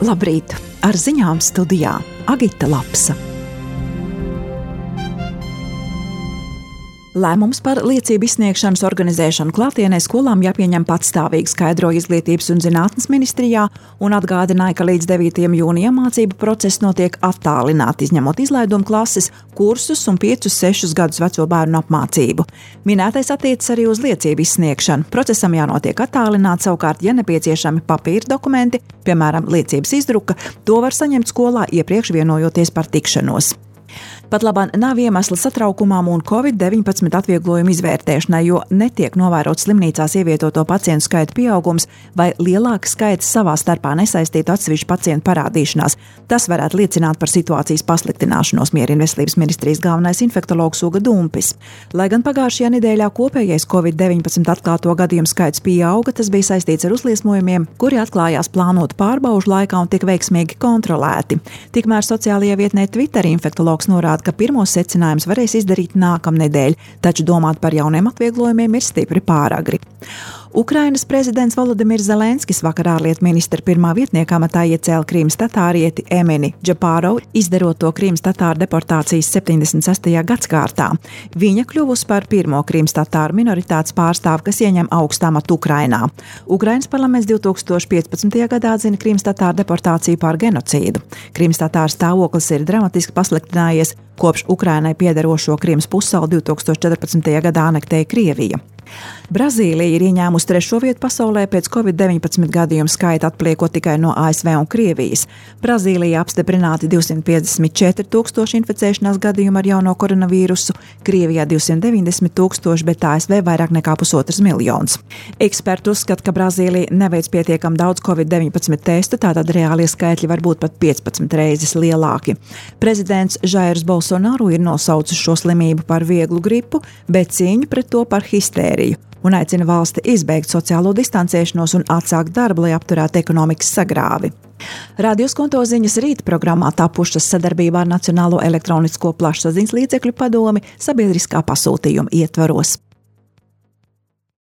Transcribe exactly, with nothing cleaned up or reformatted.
Labrīt! Ar ziņām studijā Agita Lapsa. Lēmums par liecību izsniegšanas organizēšanu klātienē skolām jāpieņem patstāvīgi, skaidroja Izglītības un zinātnes ministrijā un atgādināja, ka līdz devītajam jūnijam mācību process notiek attālināti, izņemot izlaidumu klases, kursus un piecus sešus gadus veco bērnu apmācību. Minētais attiecas arī uz liecību izsniegšanu. Procesam jānotiek attālināti, savukārt, ja nepieciešami papīra dokumenti, piemēram, liecības izdruka, to var saņemt skolā iepriekš vienojoties par tikšanos. Pat labāk nav iemesla satraukumam un covid deviņpadsmit atvieglojumu izvērtēšanai, jo netiek novērots slimnīcās ievietoto pacientu skaita pieaugums vai lielāka skaita savā starpā nesaistītu atsevišķu pacientu parādīšanās. Tas varētu liecināt par situācijas pasliktināšanos, mierina Veselības ministrijas galvenais infektologs Uga Dumpis. Lai gan pagājušajā nedēļā kopējais covid deviņpadsmit atklāto gadījumu skaits pieauga, tas bija saistīts ar uzliesmojumiem, kuri atklājās plānotu pārbaužu laikā un tika veiksmīgi kontrolēti. Tikmēr sociālajā vietnē Twitter infektologs norāda, ka pirmos secinājumus varēs izdarīt nākamnedēļ, taču domāt par jauniem atvieglojumiem ir stipri pāragri. Ukrainas prezidents Volodimirs Zelenskis vakar ārlietu ministra pirmā vietnieka amatā iecēla Krīmas tatārieti Emini Džapārovu, izdarot to Krīmas tatāru deportācijas septiņdesmit sestajā gadskārtā. Viņa kļuvusi par pirmo Krīmas tatāru minoritātes pārstāvu, kas ieņem augstu amatu Ukrainā. Ukrainas parlaments divtūkstoš piecpadsmitajā gadā atzina Krīmas tatāru deportāciju par genocīdu. Krīmas tatāru stāvoklis ir dramatiski pasliktinājies, kopš Ukrainai piederošo Krīmas pussalu divtūkstoš četrpadsmitajā gadā anektēja Krievija. Brazīlija ir ieņēmusi trešo vietu pasaulē pēc covid deviņpadsmit gadījumu skaita, atpaliekot tikai no A S V un Krievijas. Brazīlijā apstiprināti divsimt piecdesmit četri tūkstoši inficēšanās gadījumu ar jauno koronavīrusu, Krievijā divsimt deviņdesmit tūkstoši, bet A S V vairāk nekā pusotrs miljons. Eksperti uzskata, ka Brazīlija neveic pietiekam daudz covid deviņpadsmit testu, tātad reālie skaitļi var būt pat piecpadsmit reizes lielāki. Prezidents Jairs Bolsonaru ir nosaucis šo slimību par vieglu gripu, bet cīņu pret to par histēriju un aicina valsti izbeigt sociālo distancēšanos un atsākt darbu, lai apturētu ekonomikas sagrāvi. Radio Skonto ziņas rīta programmā tapušas sadarbībā ar Nacionālo elektronisko plašsaziņas līdzekļu padomi sabiedriskā pasūtījuma ietvaros.